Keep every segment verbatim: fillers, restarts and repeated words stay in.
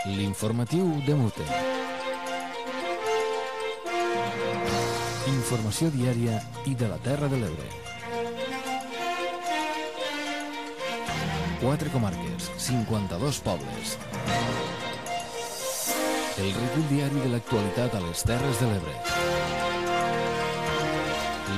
L'informatiu de Mute. Informació diària i de la Terra de l'Ebre. Quatre comarques, cinquanta-dos pobles. El recull diari de l'actualitat a les Terres de l'Ebre.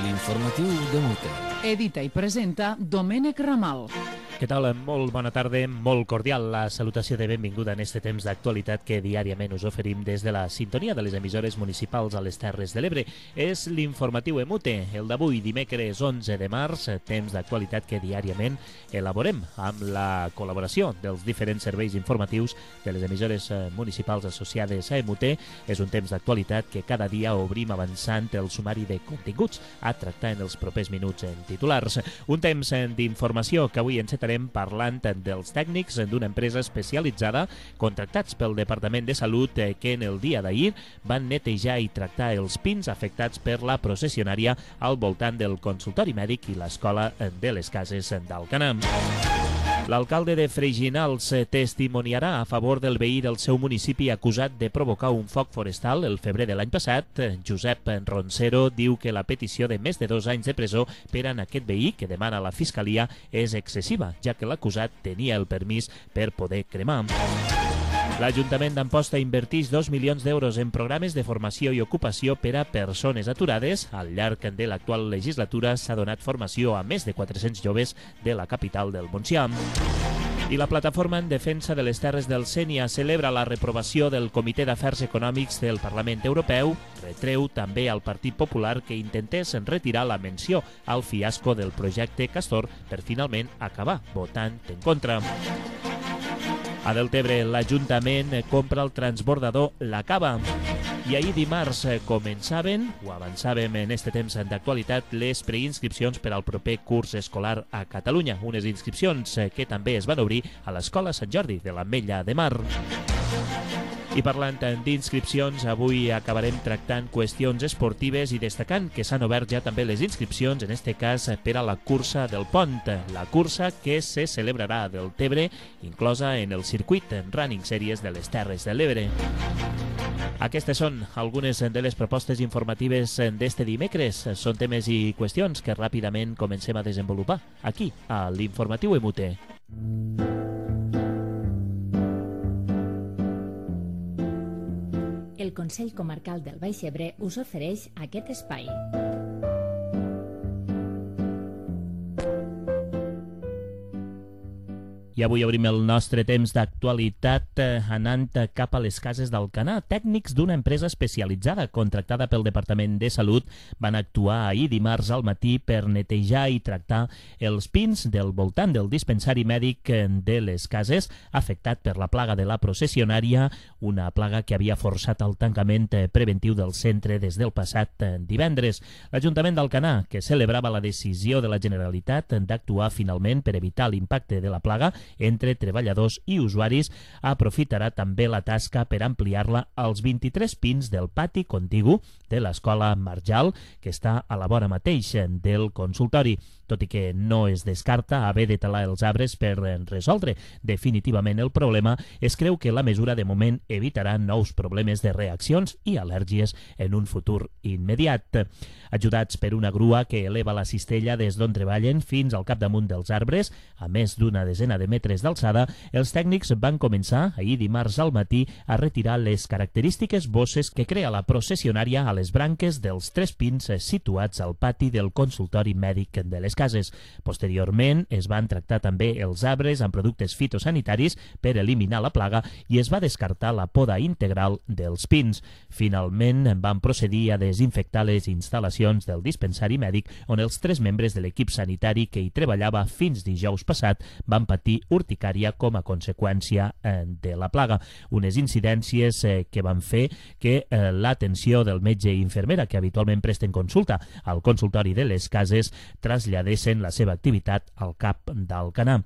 L'informatiu de Mute. Edita i presenta Domènec Ramal. Què tal? Molt bona tarda, molt cordial la salutació de benvinguda en este temps d'actualitat que diàriament us oferim des de la sintonia de les emissores municipals a les Terres de l'Ebre. És l'informatiu Emute, el d'avui, dimecres onze de març, temps d'actualitat que diàriament elaborem amb la col·laboració dels diferents serveis informatius de les emissores municipals associades a Emute. És un temps d'actualitat que cada dia obrim avançant el sumari de continguts a tractar en els propers minuts en titulars. Un temps d'informació que avui encetarem parlant dels tècnics d'una empresa especialitzada contractats pel Departament de Salut que en el dia d'ahir van netejar i tractar els pins afectats per la processionària al voltant del consultori mèdic i l'escola de les Cases d'Alcanar. L'alcalde de Freginals testimoniarà a favor del veí del seu municipi acusat de provocar un foc forestal el febrer de l'any passat. Josep Roncero diu que la petició de més de dos anys de presó per a aquest veí que demana la Fiscalia és excessiva, ja que l'acusat tenia el permís per poder cremar. L'Ajuntament d'Amposta inverteix dos milions d'euros en programes de formació i ocupació per a persones aturades. Al llarg de l'actual legislatura s'ha donat formació a més de quatre-cents joves de la capital del Montsià. I la plataforma en defensa de les terres del Sénia celebra la reprovació del Comitè d'Afers Econòmics del Parlament Europeu. Retreu també al Partit Popular que intentés retirar la menció al fiasco del projecte Castor per finalment acabar votant en contra. A Deltebre, l'Ajuntament compra el transbordador La Cava. I ahir dimarts començaven, o avançàvem en este temps d'actualitat, les preinscripcions per al proper curs escolar a Catalunya. Unes inscripcions que també es van obrir a l'Escola Sant Jordi de l'Ametlla de Mar. I parlant d'inscripcions, avui acabarem tractant qüestions esportives i destacant que s'han obert ja també les inscripcions, en este cas per a la cursa del Pont, la cursa que se celebrarà a Deltebre, inclosa en el circuit Running Series de les Terres de l'Ebre. Aquestes són algunes de les propostes informatives d'este dimecres. Són temes i qüestions que ràpidament comencem a desenvolupar aquí, a l'Informatiu Emute. El Consell Comarcal del Baix Ebre us ofereix aquest espai. I avui obrim el nostre temps d'actualitat anant cap a les Cases d'Alcanar. Tècnics d'una empresa especialitzada contractada pel Departament de Salut van actuar ahir dimarts al matí per netejar i tractar els pins del voltant del dispensari mèdic de les Cases afectat per la plaga de la processionària, una plaga que havia forçat el tancament preventiu del centre des del passat divendres. L'Ajuntament d'Alcanar, que celebrava la decisió de la Generalitat d'actuar finalment per evitar l'impacte de la plaga entre treballadors i usuaris, aprofitarà també la tasca per ampliar-la als vint-i-tres pins del pati contigu de l'Escola Marjal, que està a la vora mateix del consultori. Tot i que no es descarta haver de talar els arbres per resoldre definitivament el problema, es creu que la mesura de moment evitarà nous problemes de reaccions i al·lèrgies en un futur immediat. Ajudats per una grua que eleva la cistella des d'on treballen fins al capdamunt dels arbres, a més d'una desena de metres d'alçada, els tècnics van començar ahir dimarts al matí a retirar les característiques bosses que crea la processionària a les branques dels tres pins situats al pati del consultori mèdic de les Cases. Posteriorment es van tractar també els arbres amb productes fitosanitaris per eliminar la plaga i es va descartar la poda integral dels pins. Finalment van procedir a desinfectar les instal·lacions del dispensari mèdic on els tres membres de l'equip sanitari que hi treballava fins dijous passat van patir urticària com a conseqüència de la plaga. Unes incidències que van fer que l'atenció del metge i infermera que habitualment presten consulta al consultori de les Cases traslladés cessent la seva activitat al cap d'Alcanar.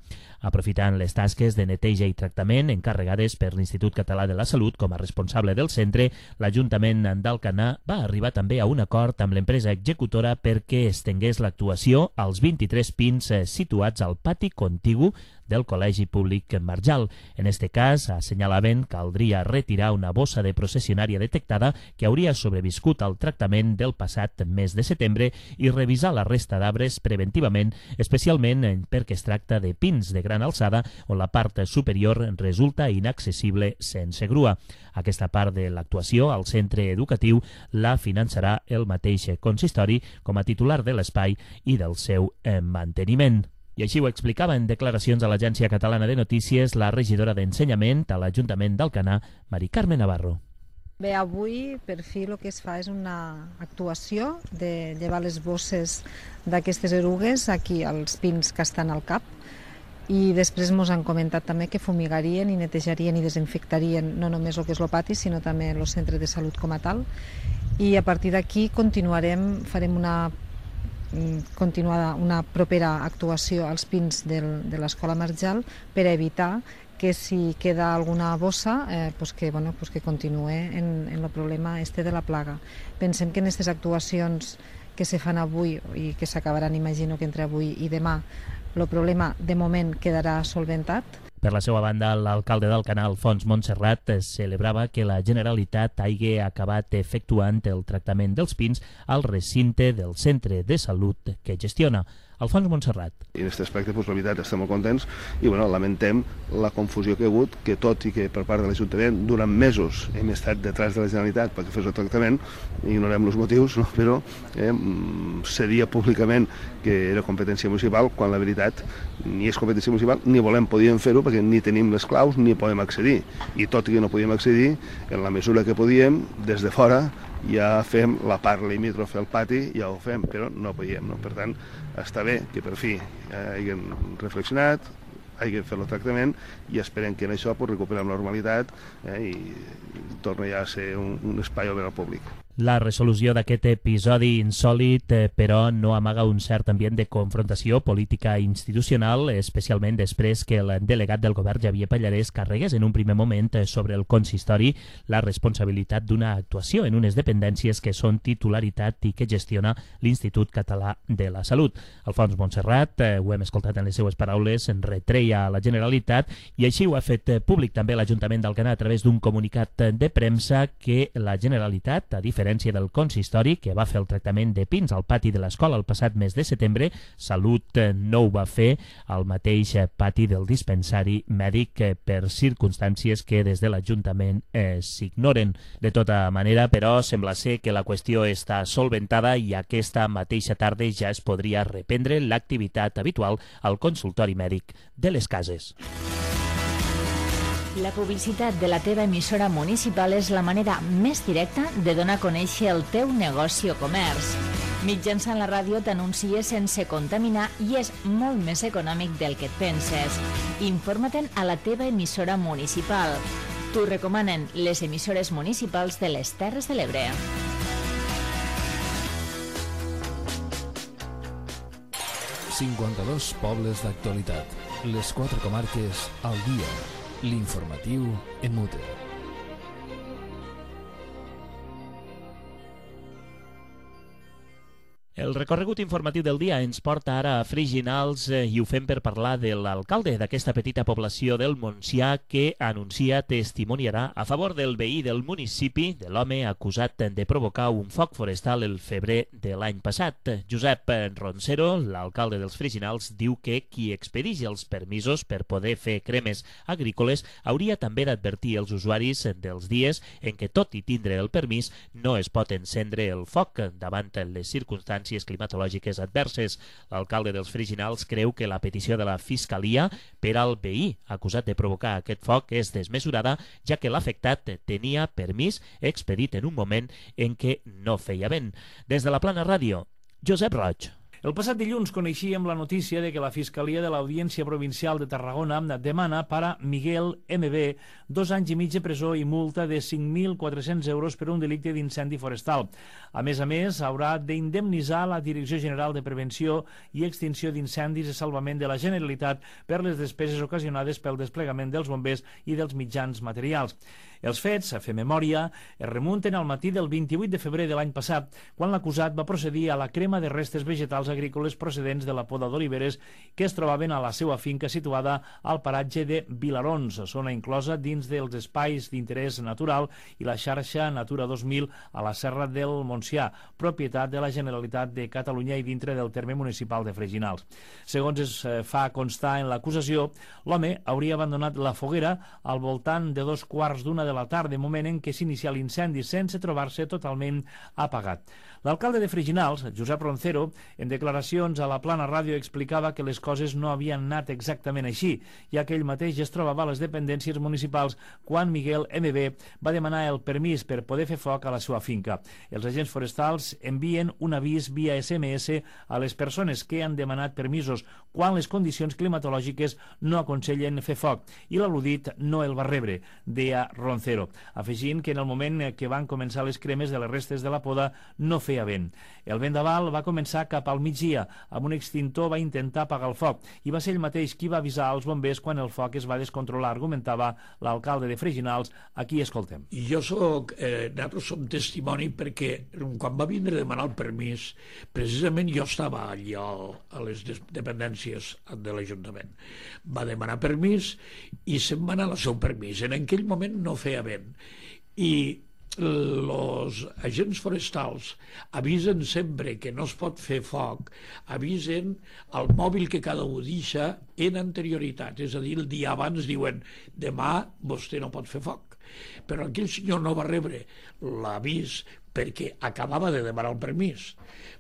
Aprofitant les tasques de neteja i tractament encarregades per l'Institut Català de la Salut com a responsable del centre, l'Ajuntament d'Alcanar va arribar també a un acord amb l'empresa executora perquè estengués l'actuació als vint-i-tres pins situats al pati contigu del Col·legi Públic Marjal. En este cas, assenyalaven que caldria retirar una bossa de processionària detectada que hauria sobreviscut al tractament del passat mes de setembre i revisar la resta d'arbres preventivament, especialment perquè es tracta de pins de gran alçada on la part superior resulta inaccessible sense grua. Aquesta part de l'actuació al centre educatiu la finançarà el mateix consistori com a titular de l'espai i del seu manteniment. I així ho explicava en declaracions a l'Agència Catalana de Notícies la regidora d'Ensenyament a l'Ajuntament d'Alcanar, Mari Carme Navarro. Bé, avui per fi el que es fa és una actuació de llevar les bosses d'aquestes erugues aquí als pins que estan al cap, i després ens han comentat també que fumigarien i netejarien i desinfectarien no només el que és el pati, sinó també el centre de salut com a tal. I a partir d'aquí continuarem, farem una continuada, una propera actuació als pins del, de l'Escola Marjal per evitar que si queda alguna bossa, eh, pues que, bueno, pues que continue en, en el problema este de la plaga. Pensem que en aquestes actuacions que se fan avui i que s'acabaran, imagino que entre avui i demà, el problema de moment quedarà solventat. Per la seva banda, l'alcalde d'Alcanar, Alfons Montserrat, celebrava que la Generalitat hagi acabat efectuant el tractament dels pins al recinte del centre de salut que gestiona. Alfons Montserrat. I en aquest aspecte, doncs, la veritat, estem molt contents i bueno, lamentem la confusió que hi ha hagut, que tot i que per part de l'Ajuntament durant mesos hem estat detrás de la Generalitat perquè fes el tractament, ignorem els motius, no? Però eh, se dia públicament que era competència municipal, quan la veritat ni és competència municipal, ni volem, podíem fer-ho perquè ni tenim les claus ni podem accedir. I tot i que no podíem accedir, en la mesura que podíem, des de fora, ja fem la part limítrofe al pati, ja ho fem, però no podíem. No? Per tant, està bé que per fi eh, hagin reflexionat, hagin fet el tractament i esperem que en això pues, recuperem la normalitat eh, i torni ja a ser un, un espai obert al públic. La resolució d'aquest episodi insòlit, eh, però, no amaga un cert ambient de confrontació política institucional, especialment després que el delegat del govern, Xavier Pallarès, carregués en un primer moment sobre el consistori la responsabilitat d'una actuació en unes dependències que són titularitat i que gestiona l'Institut Català de la Salut. Alfons Montserrat, eh, ho hem escoltat en les seues paraules, en retreia a la Generalitat i així ho ha fet públic també l'Ajuntament d'Alcanar a través d'un comunicat de premsa que la Generalitat, a diferència del consistori, que va fer el tractament de pins al pati de l'escola el passat mes de setembre, Salut no ho va fer al mateix pati del dispensari mèdic per circumstàncies que des de l'Ajuntament eh, s'ignoren. De tota manera, però, sembla ser que la qüestió està solventada i aquesta mateixa tarda ja es podria reprendre l'activitat habitual al consultori mèdic de les cases. La publicitat de la teva emissora municipal és la manera més directa de donar a conèixer el teu negoci o comerç. Mitjançant la ràdio t'anuncies sense contaminar i és molt més econòmic del que et penses. Informa-te'n a la teva emissora municipal. T'ho recomanen les emissores municipals de les Terres de l'Ebre. cinquanta-dos pobles d'actualitat. Les quatre comarques al dia. L'informatiu en Mute. El recorregut informatiu del dia ens porta ara a Freginals eh, i ho fem per parlar de l'alcalde d'aquesta petita població del Montsià que anuncia testimoniarà a favor del veí del municipi, de l'home acusat de provocar un foc forestal el febrer de l'any passat. Josep Roncero, l'alcalde dels Freginals, diu que qui expedeix els permisos per poder fer cremes agrícoles hauria també d'advertir els usuaris dels dies en què, tot i tindre el permís, no es pot encendre el foc davant les circumstàncies climatològiques adverses. L'alcalde dels Freginals creu que la petició de la Fiscalia per al veí acusat de provocar aquest foc és desmesurada, ja que l'afectat tenia permís expedit en un moment en què no feia vent. Des de la Plana Ràdio, Josep Roig. El passat dilluns coneixíem la notícia de que la Fiscalia de l'Audiència Provincial de Tarragona demana per a Miguel M B dos anys i mig de presó i multa de cinc mil quatre-cents euros per un delicte d'incendi forestal. A més a més, haurà d'indemnitzar la Direcció General de Prevenció i Extinció d'Incendis i Salvament de la Generalitat per les despeses ocasionades pel desplegament dels bombers i dels mitjans materials. Els fets, a fer memòria, es remunten al matí del vint-i-vuit de febrer de l'any passat, quan l'acusat va procedir a la crema de restes vegetals agrícoles procedents de la poda d'oliveres que es trobaven a la seva finca situada al paratge de Vilarons, zona inclosa dins dels espais d'interès natural i la xarxa Natura dos mil a la Serra del Montsià, propietat de la Generalitat de Catalunya i dintre del terme municipal de Freginals. Segons es fa constar en l'acusació, l'home hauria abandonat la foguera al voltant de dos quarts d'una de la tarda, moment en què s'inicia l'incendi sense trobar-se totalment apagat. L'alcalde de Freginals, Josep Roncero, en declaracions a la Plana Ràdio explicava que les coses no havien anat exactament així, ja que ell mateix es trobava a les dependències municipals quan Miguel M B va demanar el permís per poder fer foc a la seva finca. Els agents forestals envien un avís via S M S a les persones que han demanat permisos quan les condicions climatològiques no aconsellen fer foc, i l'al·ludit no el va rebre, deia Roncero, afegint que en el moment que van començar les cremes de les restes de la poda no feia vent. El vendaval va començar cap al migdia. Amb un extintor va intentar apagar el foc i va ser ell mateix qui va avisar als bombers quan el foc es va descontrolar, argumentava l'alcalde de Freginals. Aquí escoltem. Jo soc, eh, nosaltres som testimoni perquè quan va vindre a demanar el permís, precisament jo estava allà a les dependències de l'Ajuntament. Va demanar permís i se'n va anar al seu permís. En aquell moment no feia vent. I els agents forestals avisen sempre que no es pot fer foc, avisen el mòbil que cada un deixa en anterioritat, és a dir, el dia abans diuen demà vostè no pot fer foc. Però aquell senyor no va rebre l'avís perquè acabava de demanar el permís.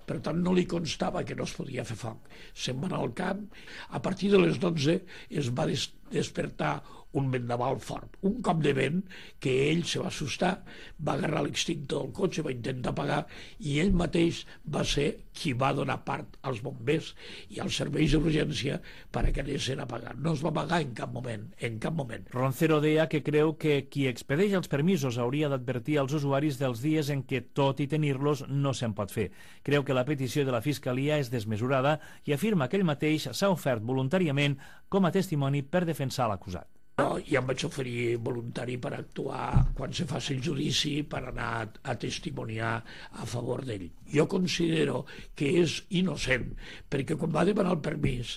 Per tant, no li constava que no es podia fer foc. Se'n va anar al camp. A partir de les dotze es va des despertar un vendaval fort, un cop de vent que ell se va assustar, va agarrar l'extintor del cotxe, va intentar apagar i ell mateix va ser qui va donar part als bombers i als serveis d'urgència perquè anessin a apagar. No es va apagar en cap moment, en cap moment. Roncero deia que creu que qui expedeix els permisos hauria d'advertir als usuaris dels dies en què, tot i tenir-los, no se'n pot fer. Creu que la petició de la Fiscalia és desmesurada i afirma que ell mateix s'ha ofert voluntàriament com a testimoni per defensar l'acusat. No, ja em vaig oferir voluntari per actuar quan se faci el judici, per anar a testimoniar a favor d'ell. Jo considero que és innocent, perquè quan va demanar el permís,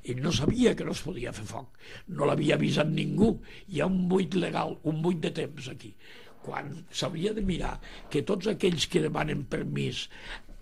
ell no sabia que no es podia fer foc, no l'havia avisat ningú. Hi ha un buit legal, un buit de temps aquí. Quan s'hauria de mirar que tots aquells que demanen permís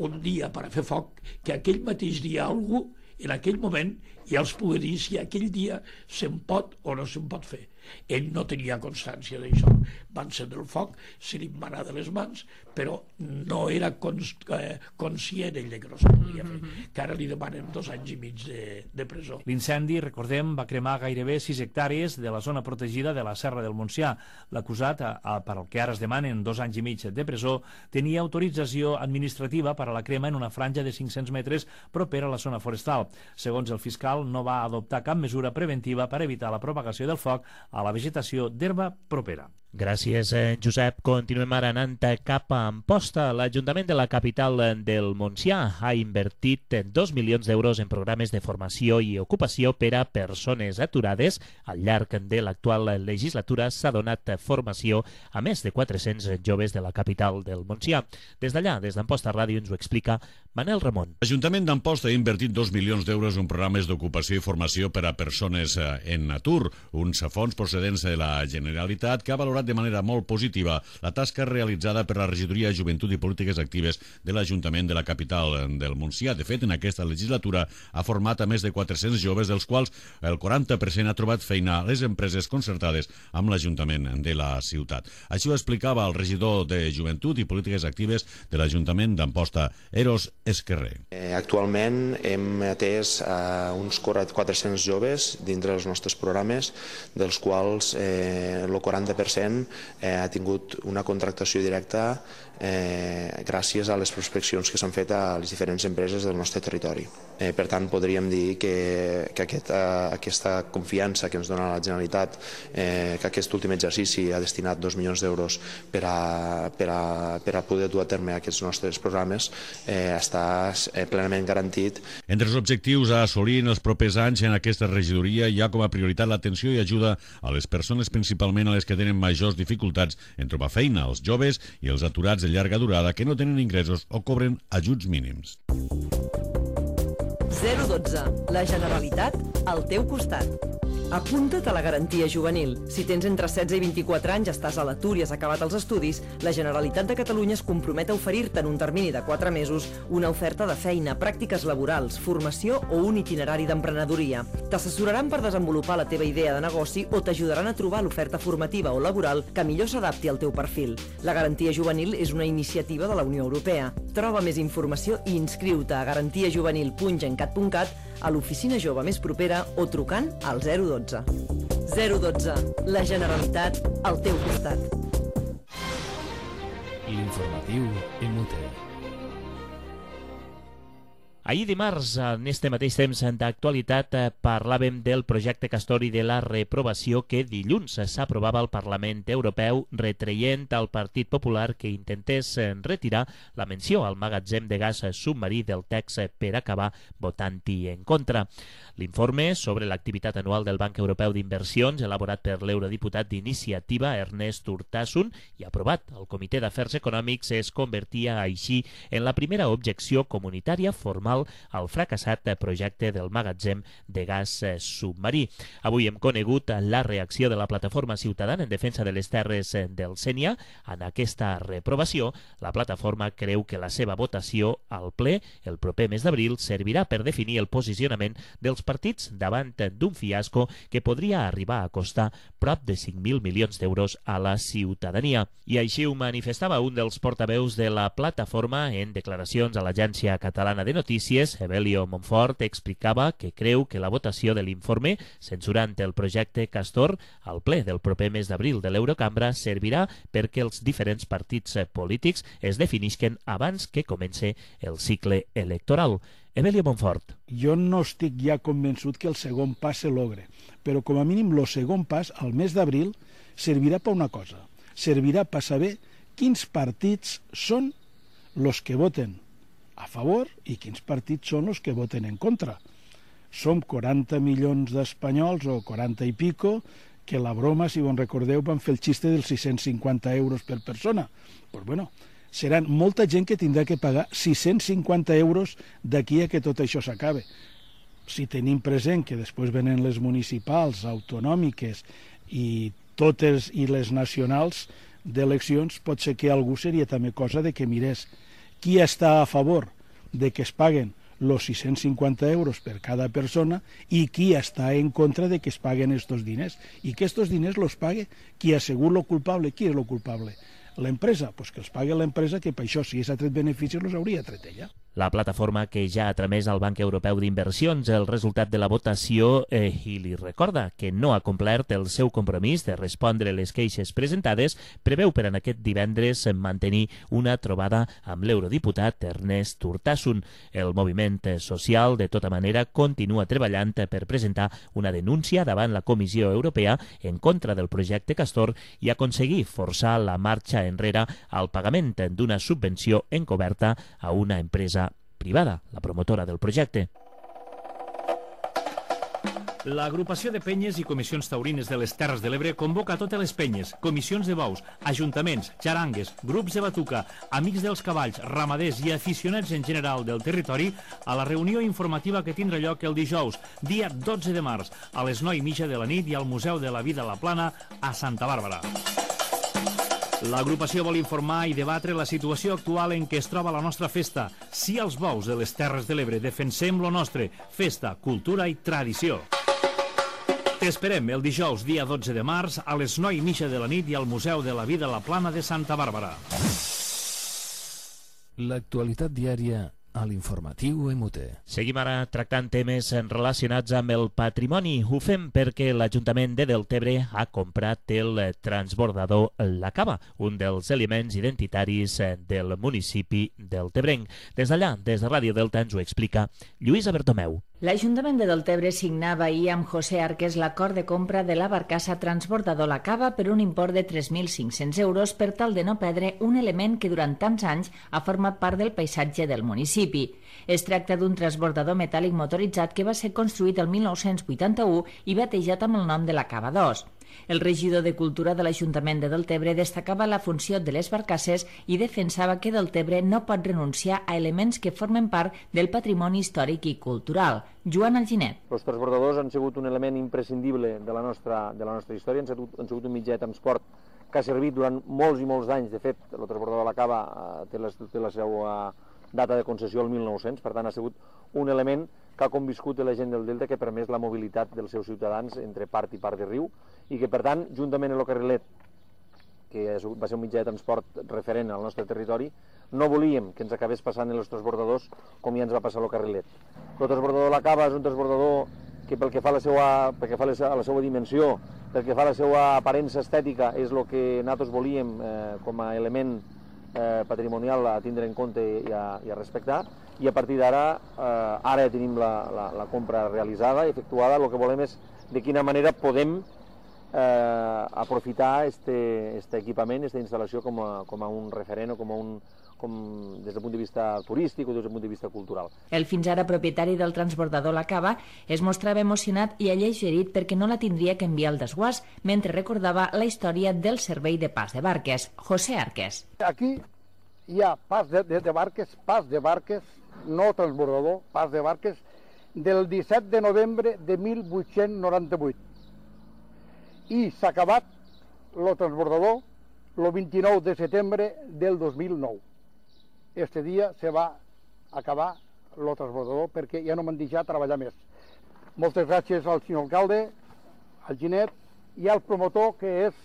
un dia per a fer foc, que aquell mateix dia algú, en aquell moment, ja els pugui dir si aquell dia se'n pot o no se'n pot fer. Ell no tenia constància d'això. Va encendre el foc, se li va anar de les mans, però no era cons eh, conscient ell que no se podia fer, que ara li demanen dos anys i mig de, de presó. L'incendi, recordem, va cremar gairebé sis hectàrees de la zona protegida de la Serra del Montsià. L'acusat, per al que ara es demanen dos anys i mig de presó, tenia autorització administrativa per a la crema en una franja de cinc-cents metres propera a la zona forestal. Segons el fiscal, no va adoptar cap mesura preventiva per evitar la propagació del foc a la vegetació d'herba propera. Gràcies, Josep. Continuem ara anant cap a Amposta. L'Ajuntament de la capital del Montsià ha invertit dos milions d'euros en programes de formació i ocupació per a persones aturades. Al llarg de l'actual legislatura s'ha donat formació a més de quatre-cents joves de la capital del Montsià. Des d'allà, des d'Amposta Ràdio, ens ho explica Manel Ramon. L'Ajuntament d'Amposta ha invertit dos milions d'euros en programes d'ocupació i formació per a persones en atur, uns fons procedents de la Generalitat que ha valorat de manera molt positiva la tasca realitzada per la Regidoria de Joventut i Polítiques Actives de l'Ajuntament de la capital del Montsià. De fet, en aquesta legislatura ha format a més de quatre-cents joves, dels quals el quaranta per cent ha trobat feina a les empreses concertades amb l'Ajuntament de la ciutat. Així ho explicava el regidor de Joventut i Polítiques Actives de l'Ajuntament d'Amposta, Eros Esquerrer. Eh, actualment hem atès a uns quatre-cents joves dintre dels nostres programes, dels quals eh, el quaranta per cent eh, ha tingut una contractació directa eh, gràcies a les prospeccions que s'han fet a les diferents empreses del nostre territori. Eh, per tant, podríem dir que, que aquest, eh, aquesta confiança que ens dona la Generalitat, eh, que aquest últim exercici ha destinat dos milions d'euros per, a, per, a, per a poder dur a terme aquests nostres programes, eh, està eh, plenament garantit. Entre els objectius a assolir en els propers anys en aquesta regidoria hi ha com a prioritat l'atenció i ajuda a les persones, principalment a les que tenen majors dificultats en trobar feina, els joves i els aturats de llarga durada que no tenen ingressos o cobren ajuts mínims. zero dotze. La Generalitat al teu costat. Apunta't a la garantia juvenil. Si tens entre setze i vint-i-quatre anys, estàs a l'atur i has acabat els estudis, la Generalitat de Catalunya es compromet a oferir-te en un termini de quatre mesos una oferta de feina, pràctiques laborals, formació o un itinerari d'emprenedoria. T'assessoraran per desenvolupar la teva idea de negoci o t'ajudaran a trobar l'oferta formativa o laboral que millor s'adapti al teu perfil. La garantia juvenil és una iniciativa de la Unió Europea. Troba més informació i inscriu-te a garantiajuvenil punt gencat punt cat, a l'oficina jove més propera o trucant al zero dotze. zero dotze. La Generalitat al teu costat. L'informatiu Emute. Ahir dimarts, en este mateix temps d'actualitat, parlàvem del projecte Castor i de la reprovació que dilluns s'aprovava al Parlament Europeu, retreient al Partit Popular que intentés retirar la menció al magatzem de gas submarí del text per acabar votant-hi en contra. L'informe sobre l'activitat anual del Banc Europeu d'Inversions, elaborat per l'eurodiputat d'Iniciativa Ernest Urtasun i aprovat al Comitè d'Afers Econòmics, es convertia així en la primera objecció comunitària formal al fracassat projecte del magatzem de gas submarí. Avui hem conegut la reacció de la Plataforma Ciutadana en Defensa de les Terres del Sénia. En aquesta reprovació, la plataforma creu que la seva votació al ple el proper mes d'abril servirà per definir el posicionament dels partits davant d'un fiasco que podria arribar a costar prop de cinc mil milions d'euros a la ciutadania. I així ho manifestava un dels portaveus de la plataforma en declaracions a l'Agència Catalana de Notícies. Evelio Montfort explicava que creu que la votació de l'informe censurant el projecte Castor al ple del proper mes d'abril de l'Eurocambra servirà perquè els diferents partits polítics es definisquen abans que comence el cicle electoral. Evelio Montfort. Jo no estic ja convençut que el segon pas se logre, però com a mínim el segon pas, al mes d'abril, servirà per una cosa. Servirà per saber quins partits són els que voten a favor i quins partits són els que voten en contra. Som quaranta milions d'espanyols o quaranta i pico que la broma, si vos recordeu, van fer el xiste dels sis-cents cinquanta euros per persona. Doncs bueno, seran molta gent que tindrà que pagar sis-cents cinquanta euros d'aquí a que tot això s'acabe. Si tenim present que després venen les municipals, autonòmiques i totes i les nacionals d'eleccions, pot ser que algú seria també cosa de que mirés qui està a favor de que es paguen els sis-cents cinquanta euros per cada persona i qui està en contra de que es paguen estos diners. I que estos diners los pague qui ha sigut lo culpable. Qui és lo culpable? L'empresa? Doncs que els pague l'empresa, que per això, si és a tret beneficis, els hauria tret ella. La plataforma que ja ha tramès al Banc Europeu d'Inversions el resultat de la votació eh, i li recorda que no ha complert el seu compromís de respondre les queixes presentades, preveu per en aquest divendres mantenir una trobada amb l'eurodiputat Ernest Urtasun. El moviment social, de tota manera, continua treballant per presentar una denúncia davant la Comissió Europea en contra del projecte Castor i aconseguir forçar la marxa enrere al pagament d'una subvenció encoberta a una empresa privada, la promotora del projecte. L'agrupació de penyes i comissions taurines de les Terres de l'Ebre convoca totes les penyes, comissions de bous, ajuntaments, xarangues, grups de batuca, amics dels cavalls, ramaders i aficionats en general del territori a la reunió informativa que tindrà lloc el dijous, dia dotze de març, a les nou i mitja de la nit i al Museu de la Vida a la Plana a Santa Bàrbara. L'agrupació vol informar i debatre la situació actual en què es troba la nostra festa. Sí als bous de les Terres de l'Ebre, defensem lo nostre, festa, cultura i tradició. T'esperem el dijous, dia dotze de març, a les nou i mitja de la nit i al Museu de la Vida a la Plana de Santa Bàrbara. L'actualitat diària a l'informatiu E M U T E. Seguim ara tractant temes relacionats amb el patrimoni. Ho fem perquè l'Ajuntament de Deltebre ha comprat el transbordador La Cava, un dels elements identitaris del municipi deltebrenc. Des d'allà, des de Ràdio Delta, ens ho explica Lluïsa Bertomeu. L'Ajuntament de Deltebre signava ahir amb José Arques l'acord de compra de la barcassa transbordador La Cava per un import de tres mil cinc-cents euros per tal de no perdre un element que durant tants anys ha format part del paisatge del municipi. Es tracta d'un transbordador metàl·lic motoritzat que va ser construït el mil nou-cents vuitanta-u i batejat amb el nom de La Cava dos. El regidor de Cultura de l'Ajuntament de Deltebre destacava la funció de les barcasses i defensava que Deltebre no pot renunciar a elements que formen part del patrimoni històric i cultural. Joan Alginet. Els transbordadors han sigut un element imprescindible de la nostra, de la nostra història, han sigut, han sigut un mitjà de transport que ha servit durant molts i molts d'anys. De fet, el transbordador de la Cava eh, té, la, té la seva data de concessió el mil nou-cents, per tant ha sigut un element que ha conviscut la gent del Delta, que ha permès la mobilitat dels seus ciutadans entre part i part de riu, i que per tant, juntament amb el carrilet, que va ser un mitjà de transport referent al nostre territori, no volíem que ens acabés passant en els transbordadors com ja ens va passar el carrilet. El transbordador de la Cava és un transbordador que pel que fa a la seva, pel que fa a la seva dimensió, pel que fa a la seva aparença estètica, és el que nosaltres volíem eh, com a element eh, patrimonial a tindre en compte i a, i a respectar, i a partir d'ara, eh, ara ja tenim la, la, la compra realitzada, efectuada. El que volem és de quina manera podem eh, aprofitar este, este equipament, aquesta instal·lació com a, com a un referent o com a un, com, des del punt de vista turístic o des del punt de vista cultural. El fins ara propietari del transbordador La Cava es mostrava emocionat i alleugerit perquè no la tindria que enviar al desguàs, mentre recordava la història del servei de pas de barques. José Arques. Aquí hi ha pas de, de, de barques, pas de barques, no transbordador, pas de barques, del disset de novembre de mil vuit-cents noranta-vuit. I s'ha acabat el transbordador el vint-i-nou de setembre del dos mil nou. Este dia se va acabar el transbordador perquè ja no m'han deixat treballar més. Moltes gràcies al senyor alcalde, al Ginet i al promotor, que és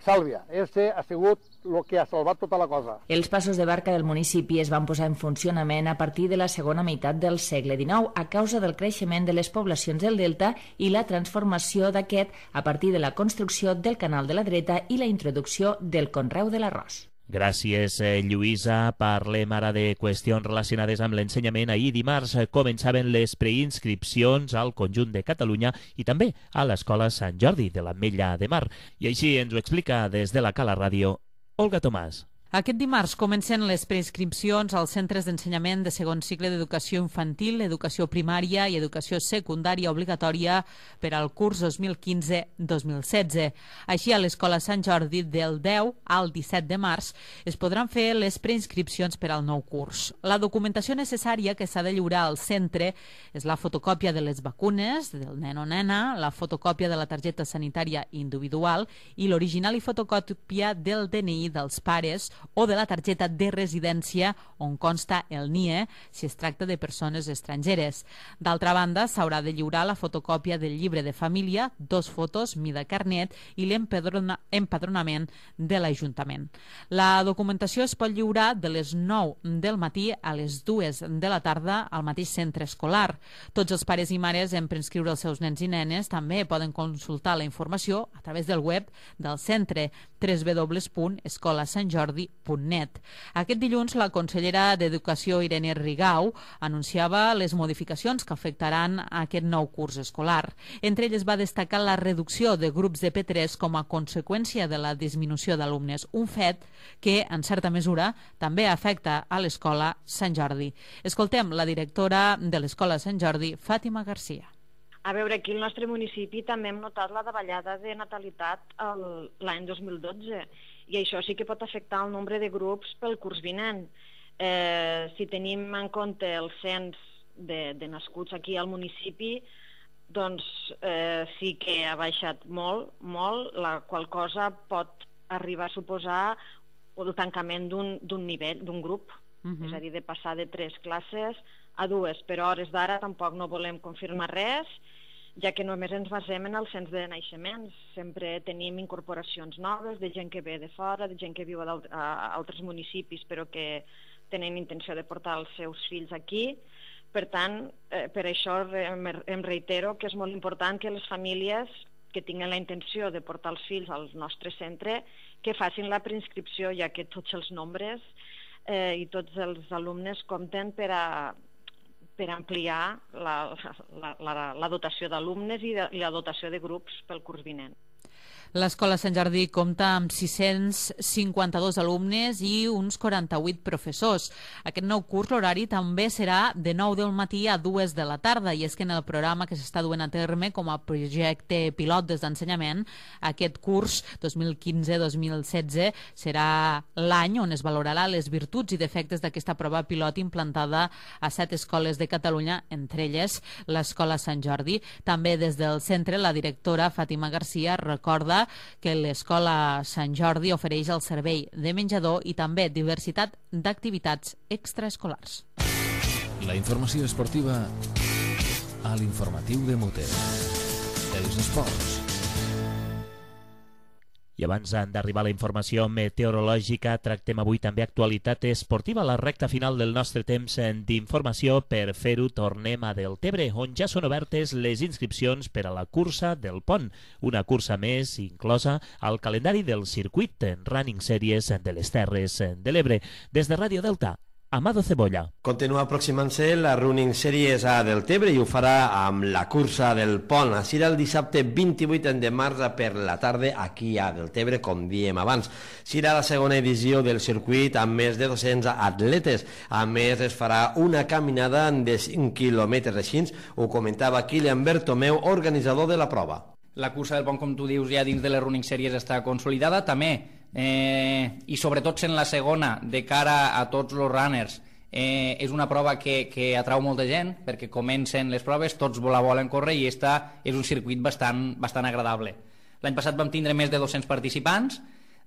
Sàlvia. Este ha sigut el que ha salvat tota la cosa. Els passos de barca del municipi es van posar en funcionament a partir de la segona meitat del segle dinou a causa del creixement de les poblacions del Delta i la transformació d'aquest a partir de la construcció del Canal de la Dreta i la introducció del conreu de l'arròs. Gràcies, Lluïsa. Parlem ara de qüestions relacionades amb l'ensenyament. Ahir dimarts començaven les preinscripcions al conjunt de Catalunya i també a l'Escola Sant Jordi de l'Ametlla de Mar. I així ens ho explica des de la Cala Ràdio Olga Tomàs. Aquest dimarts comencen les preinscripcions als centres d'ensenyament de segon cicle d'educació infantil, educació primària i educació secundària obligatòria per al curs dos mil quinze dos mil setze. Així, a l'Escola Sant Jordi, del deu al disset de març, es podran fer les preinscripcions per al nou curs. La documentació necessària que s'ha de lliurar al centre és la fotocòpia de les vacunes del nen o nena, la fotocòpia de la targeta sanitària individual i l'original i fotocòpia del D N I dels pares o de la targeta de residència on consta el N I E si es tracta de persones estrangeres. D'altra banda, s'haurà de lliurar la fotocòpia del llibre de família, dos fotos, mida carnet i l'empadronament de l'Ajuntament. La documentació es pot lliurar de les nou del matí a les dues de la tarda al mateix centre escolar. Tots els pares i mares en preinscriure els seus nens i nenes també poden consultar la informació a través del web del centre w w w punt escola sant jordi punt net. Aquest dilluns, la consellera d'Educació, Irene Rigau, anunciava les modificacions que afectaran aquest nou curs escolar. Entre elles va destacar la reducció de grups de P tres com a conseqüència de la disminució d'alumnes, un fet que, en certa mesura, també afecta a l'Escola Sant Jordi. Escoltem la directora de l'Escola Sant Jordi, Fàtima Garcia. A veure, aquí al nostre municipi també hem notat la davallada de natalitat l'any dos mil dotze i això sí que pot afectar el nombre de grups pel curs vinent. Eh, si tenim en compte el cens de, de nascuts aquí al municipi, doncs eh, sí que ha baixat molt, molt, la qual cosa pot arribar a suposar el tancament d'un nivell, d'un grup, uh-huh. És a dir, de passar de tres classes a dues, però a hores d'ara tampoc no volem confirmar res, ja que només ens basem en el cens de naixements. Sempre tenim incorporacions noves de gent que ve de fora, de gent que viu a altres municipis però que tenen intenció de portar els seus fills aquí. Per tant, eh, per això em, em reitero que és molt important que les famílies que tinguin la intenció de portar els fills al nostre centre que facin la preinscripció, ja que tots els nombres eh, i tots els alumnes compten per a, per ampliar la, la, la, la dotació d'alumnes i, de, i la dotació de grups pel curs vinent. L'Escola Sant Jordi compta amb sis-cents cinquanta-dos alumnes i uns quaranta-vuit professors. Aquest nou curs l'horari també serà de nou del matí a dues de la tarda, i és que en el programa que s'està duent a terme com a projecte pilot des d'ensenyament, aquest curs dos mil quinze dos mil setze serà l'any on es valorarà les virtuts i defectes d'aquesta prova pilot implantada a set escoles de Catalunya, entre elles l'Escola Sant Jordi. També des del centre, la directora Fàtima Garcia recorda que l'Escola Sant Jordi ofereix el servei de menjador i també diversitat d'activitats extraescolars. La informació esportiva a l'informatiu de Mute. Els esports. I abans d'arribar a la informació meteorològica, tractem avui també actualitat esportiva a la recta final del nostre temps d'informació. Per fer-ho, tornem a Deltebre, on ja són obertes les inscripcions per a la cursa del Pont, una cursa més inclosa al calendari del circuit Running Series de les Terres de l'Ebre. Des de Ràdio Delta, Amado Cebolla. Continua aproximant-se la Running Series a Deltebre i ho farà amb la cursa del Pont. Serà el dissabte vint-i-vuit de març per la tarda aquí a Deltebre, com diem abans. Serà la segona edició del circuit amb més de dos-cents atletes. A més, es farà una caminada de cinc quilòmetres. Així ho comentava Kilian Bertomeu, organitzador de la prova. La cursa del Pont, com tu dius, ja dins de les Running Series està consolidada. També Eh, i sobretot sent la segona de cara a tots els runners, eh, és una prova que, que atrau molta gent perquè comencen les proves, tots la volen córrer i esta és un circuit bastant, bastant agradable. L'any passat vam tindre més de dos-cents participants,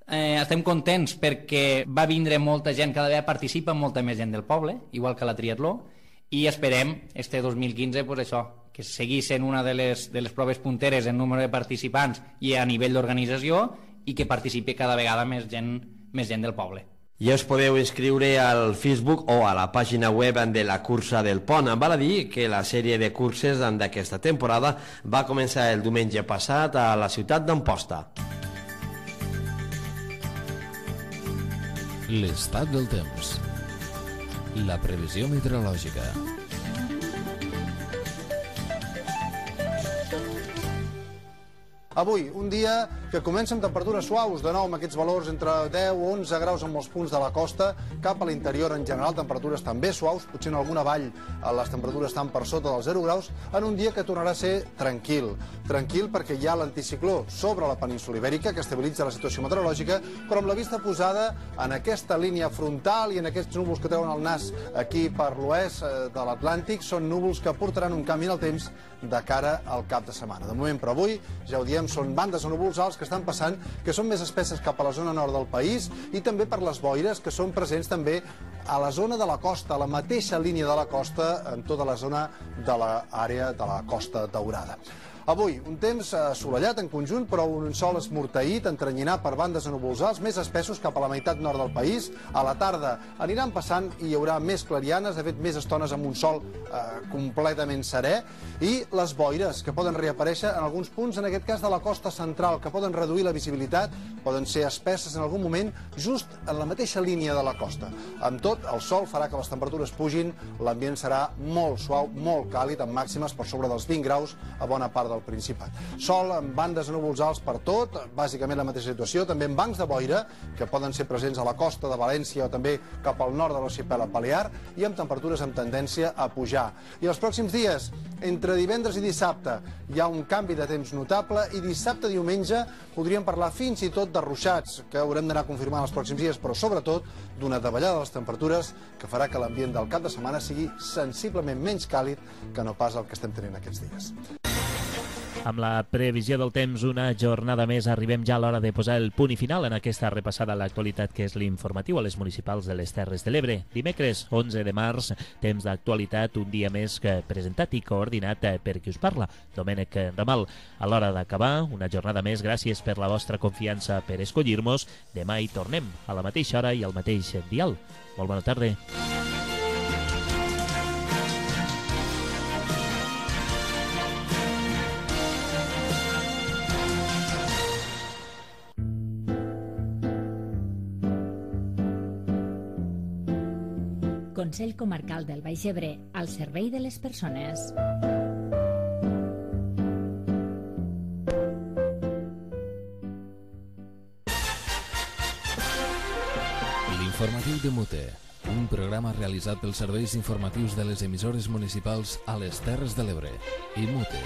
eh, estem contents perquè va vindre molta gent, cada vegada participa molta més gent del poble, igual que la triatló, i esperem este dos mil quinze pues això, que seguís sent una de les, de les proves punteres en número de participants i a nivell d'organització, i que participi cada vegada més gent, més gent del poble. Ja us podeu inscriure al Facebook o a la pàgina web de la cursa del Pont. Val a dir que la sèrie de curses d'aquesta temporada va començar el diumenge passat a la ciutat d'Amposta. L'estat del temps. La previsió meteorològica. Avui, un dia que comença amb temperatures suaus, de nou amb aquests valors entre deu o onze graus en molts punts de la costa, cap a l'interior en general, temperatures també suaus, potser en alguna vall les temperatures estan per sota dels zero graus, en un dia que tornarà a ser tranquil. Tranquil perquè hi ha l'anticicló sobre la península Ibèrica, que estabilitza la situació meteorològica, però amb la vista posada en aquesta línia frontal i en aquests núvols que treuen el nas aquí per l'oest de l'Atlàntic, són núvols que portaran un canvi en el temps de cara al cap de setmana. De moment, però avui, ja ho diem, són bandes de núvols alts que estan passant, que són més espesses cap a la zona nord del país i també per les boires que són presents també a la zona de la costa, a la mateixa línia de la costa, en tota la zona de l'àrea de la Costa Daurada. Avui, un temps assolellat en conjunt, però un sol esmorteït, entrenyinat per bandes de núvols alts, més espessos cap a la meitat nord del país. A la tarda aniran passant i hi haurà més clarianes, de fet, més estones amb un sol eh, completament serè, i les boires, que poden reaparèixer en alguns punts, en aquest cas de la costa central, que poden reduir la visibilitat, poden ser espesses en algun moment, just en la mateixa línia de la costa. Amb tot, el sol farà que les temperatures pugin, l'ambient serà molt suau, molt càlid, amb màximes per sobre dels vint graus a bona part del Principat. Sol amb bandes de núvols alts per tot, bàsicament la mateixa situació, també amb bancs de boira, que poden ser presents a la costa de València o també cap al nord de l'arxipèlag Balear, i amb temperatures amb tendència a pujar. I els pròxims dies, entre divendres i dissabte, hi ha un canvi de temps notable i dissabte i diumenge podríem parlar fins i tot de ruixats, que haurem d'anar confirmant els pròxims dies, però sobretot d'una davallada de les temperatures que farà que l'ambient del cap de setmana sigui sensiblement menys càlid que no pas el que estem tenint aquests dies. Amb la previsió del temps, una jornada més, arribem ja a l'hora de posar el punt i final en aquesta repassada a l'actualitat que és l'informatiu a les municipals de les Terres de l'Ebre. Dimecres, onze de març, temps d'actualitat, un dia més que presentat i coordinat per qui us parla, Domènec Ramal. A l'hora d'acabar, una jornada més, gràcies per la vostra confiança per escollir-nos. Demà hi tornem, a la mateixa hora i al mateix dial. Molt bona tarda. Consell Comarcal del Baix Ebre, al servei de les persones. L'informatiu de Mute, un programa realitzat pels serveis informatius de les emissores municipals a les Terres de l'Ebre i Mute.